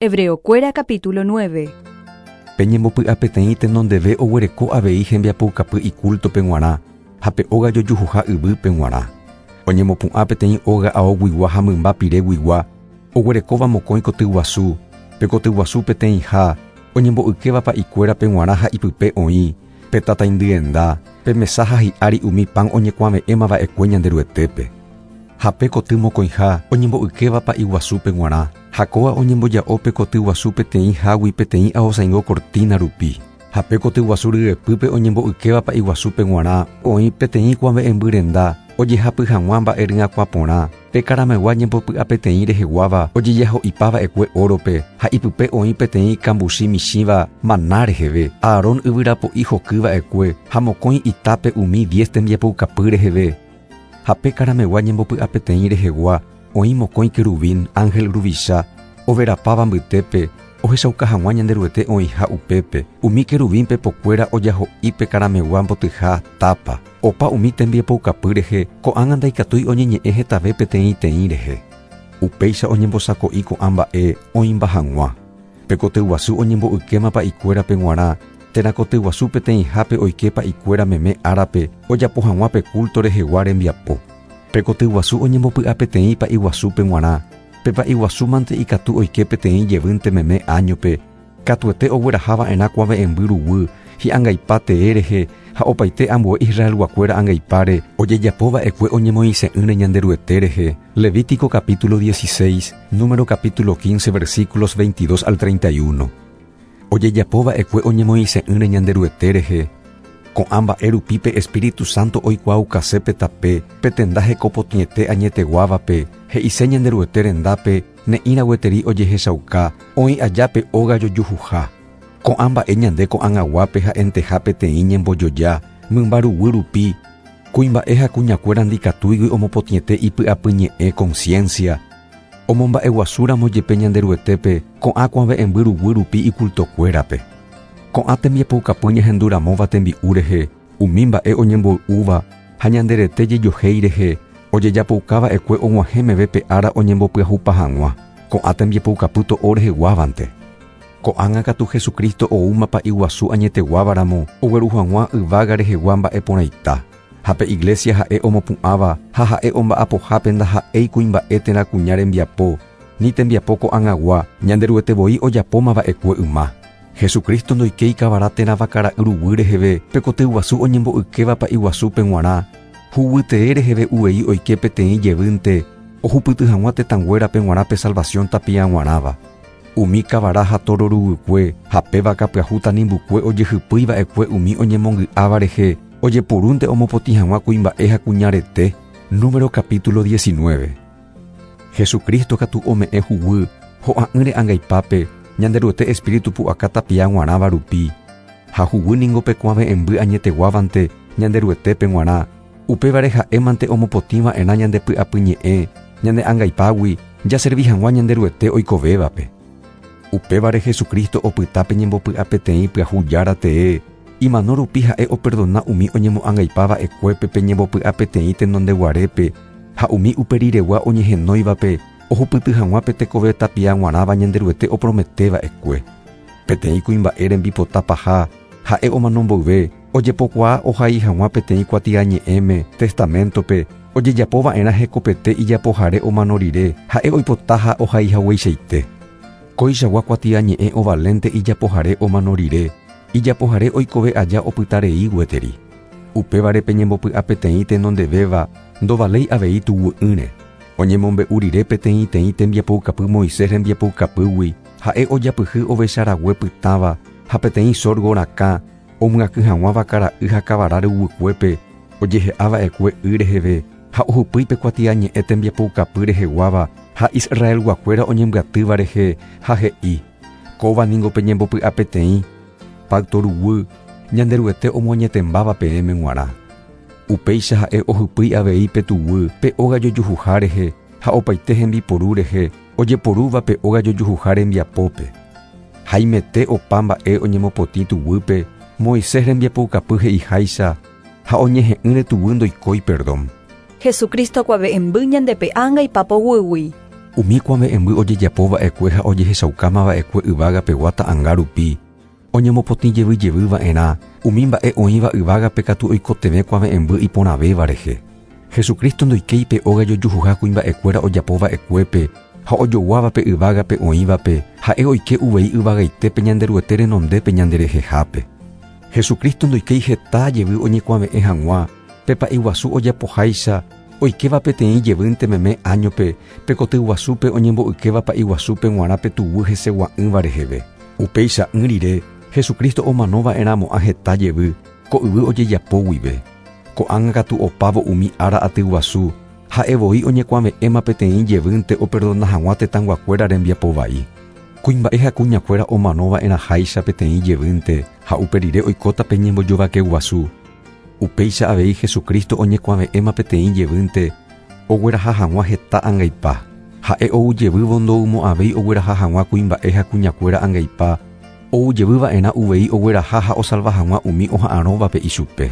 Hebreokuéra capítulo 9. Pe ñembopy'apeteĩ tenondeve oguereko avei hembiapoukapy ikúltope g̃uarã ha pe óga jojuhuha yvýpe g̃uarã. Oñemopu'ã peteĩ óga aoguigua ha mymba pireguigua, oguerekóva mokõi kotyguasu, pe kotyguasu peteĩha, oñembo'ykéva pa'ikuérape g̃uarã ha ipype oĩ, pe tataindyenda, pe mesa ha hi'ári umi pan oñekuave'ẽma va'ekue Ñanderuetépe. Ha pe koty mokõiha oñembo'ykéva pa'i guasúpe g̃uarã, ha kóva oñemboja'o pe koty guasu peteĩ hágui peteĩ aosãingo cortina rupi. Ha pe koty guasu ryepýpe oñembo'ykéva pa'i guasúpe g̃uarã oĩ peteĩ kuave'ẽmby renda ojehapy hag̃ua mba'e ryakuã porã, pe karamegua ñembopy'apeteĩ reheguáva ojejaho'ipa va'ekue órope, ha ipype oĩ peteĩ kambuchi michĩva maná reheve, Aarón yvyrapo'i hoky va'ekue ha mokõi itápe umi diez tembiapoukapy reheve. Ha pe karamegua ñembopy'apeteĩ rehegua oĩ mokõi keruvin, ánhel ruvicha, overapáva mbytépe, ohechauka hag̃ua Ñanderuete oĩha upépe, umi keruvin pepokuéra ojaho'i pe karamegua mbotyha tápa. Opa umi tembiapoukapy rehe ko'ág̃a ndaikatúi oñeñe'ẽ hetave peteĩteĩ rehe. Upéicha oñembosako'i ko'ã mba'e oĩmba hag̃ua. Pe kotyguasu oñembo'ykéma pa'ikuérape g̃uarã, térã kotyguasu peteĩhápe oike pa'ikuéra meme árape ojapo hag̃ua pe kúlto rehegua rembiapo. Pe kotyguasu oñembopy'apeteĩ pa'iguasúpe g̃uarã, pe pa'iguasúmante ikatu oike peteĩ jevýnte meme áñope, katuete ogueraha va'erã kuave'ẽmby ruguy hi'angaipa tee rehe ha opaite ambue Israelguakuéra angaipáre ojejapo va'ekue oñemoĩse'ỹre Ñanderuete rehe, Levítico capítulo 16, Número capítulo 15 versículos 22 al 31. Ojejapo va'ekue oñemoĩse'ỹre Ñanderuete rehe, ko'ã mba'e rupi pe Espíritu Santo oikuaaukase pe tape, pe tenda hekopotĩete añeteguávape, he'ise Ñanderuete rendápe ne'ĩra gueteri ojehechauka, oĩ aja pe óga jojuhuha. Ko'ã mba'e ñande ko'ag̃aguápe ha'enteha peteĩ ñembojoja, mymba ruguy rupi, kuimba'e ha kuñakuéra ndikatúigui omopotĩete ipy'apyñe'ẽ conciencia, omomba'eguasúramo jepe Ñanderuetépe ko'ã kuave'ẽmby ruguy rupi icultokuérape. Ko'ã tembiapoukapy ñahenduramóva tembi'u rehe, umi mba'e oñemboy'úva ha ñande rete jejohéi rehe, ojejapoukava'ekue og̃uahẽ meve pe ára oñembopyahupa hag̃ua, ko'ã tembiapoukapy to'o reheguávante. Ko'ág̃a katu Jesucristo oúma Pa'i Guasu añeteguávaramo ogueru hag̃ua yvága rehegua mba'e porãita. Ha pe Iglesia ha'e omopu'ãva ha ha'e omba'apohápe ndaha'éi kuimba'e térã kuña rembiapo, ni tembiapo ko'ag̃agua, Ñanderuete voi ojapóma va'ekue yma. Jesucristo ndoikéi kavara térã vakara'y ruguy reheve pe koty guasu oñembo'ykéva Pa'i Guasúpe g̃uarã, huguytee reheve uvei oike peteĩ jevýnte ohupyty hag̃ua tetãnguérape g̃uarã pe salvación tapia g̃uarãva. Umi kavara ha tóro ruguykue ha pe vaka pyahu tanimbukue ojehypýi va'ekue umi oñemongy'áva rehe ojepurúnte omopotĩ hag̃ua kuimba'e ha kuña rete, Número capítulo 19. Jesucristo katu ome'ẽ huguy ho'a'ỹre angaipápe Ñanderuete Espíritu pu'aka tapia g̃uarãva rupi. Ha huguy ningo pe kuave'ẽmby añeteguávante Ñanderuetépe g̃uarã, upévare ha'émante omopotĩ va'erã ñande py'apyñe'ẽ ñane angaipágui jaservi hag̃ua Ñanderuete oikovévape. Upévare Jesucristo opyta pe ñembopy'apeteĩ pyahu Jára tee, imano rupi ha'e operdona umi oñemo'angaipá va'ekuépe pe ñembopy'apeteĩ tenondeguarépe ha umi uperiregua oñehenóivape ohupyty hag̃ua pe tekove tapia g̃uarãva Ñanderuete opromete va'ekue. Peteĩ kuimba'e rembipota paha ha'e omano mboyve, ojepokuaa ohai hag̃ua peteĩ kuatiañe'ẽme, testaméntope, ojejapo va'erã hekopete ijapohare omano rire, ha'e oipota ha ohai hagueichaite. Koichagua kuatiañe'ẽ ovalénte ijapohare omano rire, ijapohare oikove aja opyta rei gueteri. Upévare peñembopy'apeteĩ tenondevéva ndovaléi avei tuguy'ỹre. Oñemombe'u rire peteĩteĩ tembiapoukapy Moisés rembiapoukapýgui, ha'e ojapyhy ovecha rague pytãva ha peteĩ sorgo rakã omyakỹ hag̃ua vakara'y ha kavara ruguykuépe ojehe'a va'ekue y reheve ha ohypýi pe kuatiañe'ẽ tembiapoukapy reheguáva ha Israelguakuéra oñembyatýva rehe ha he'i, Kóva ningo pe ñembopy'apeteĩ, pacto ruguy, Ñanderuete omoañetembáva peẽme g̃uarã. Upéicha ha'e ohypýi avei pe tuguy pe óga jojuhuha rehe ha opaite hembiporu rehe ojeporúva pe óga jojuhuha rembiapópe. Haimete opa mba'e oñemopotĩ tuguýpe Moisés rembiapoukapy he'iháicha ha oñehe'ỹre tuguy ndoikói perdón. Jesucristo kuave'ẽmby ñande pe'ánga ipapoguýgui. Umi kuave'ẽmby ojejapova'ekue ha ojehechaukamava'ekue yvágapegua ta'anga rupi, oñemopotĩ jevy jevy va'erã, umi mba'e oĩva yvágape katu oikotevẽ kuave'ẽmby iporãvéva rehe. Jesucristo ndoikéi pe óga jojuhuha kuimba'ekuéra ojapova'ekuépe ha ojoguávape yvágape oĩvape, ha'e oike uvei yvagaitépe Ñanderuete renondépe ñanderehehápe. Jesucristo ndoikéi heta jevy oñekuave'ẽ hag̃ua, pe pa'i guasu ojapoháicha, oikéva peteĩ jevýnte meme áñope, pe koty guasúpe oñembo'ykéva pa'i guasúpe g̃uarã pe tuguy hesegua'ỹva reheve. Upeicha'ỹ rire, Jesucristo omanova'erãmo'ã heta jevy, ko yvy ojejapo guive. Ko'ág̃a katu opávo umi ára aty guasu, ha'e voi oñekuave'ẽma peteĩ jevýnte operdona hag̃ua tetãyguakuéra rembiapo vai. Kuimba'e ha kuñakuéra omanova'erãháicha peteĩ jevýnte ha upe rire oikóta pe ñembojovake guasu. Upéicha avei Jesucristo oñekuave'ẽma peteĩ jevýnte ogueraha hag̃ua heta angaipa. Ha'e ou jevývo ndoumo'ãvéi ogueraha hag̃ua kuimba'e ha kuñakuéra angaipa, ou jevyva'erã uvei ogueraha ha osalva hag̃ua umi oha'arõvape ichupe.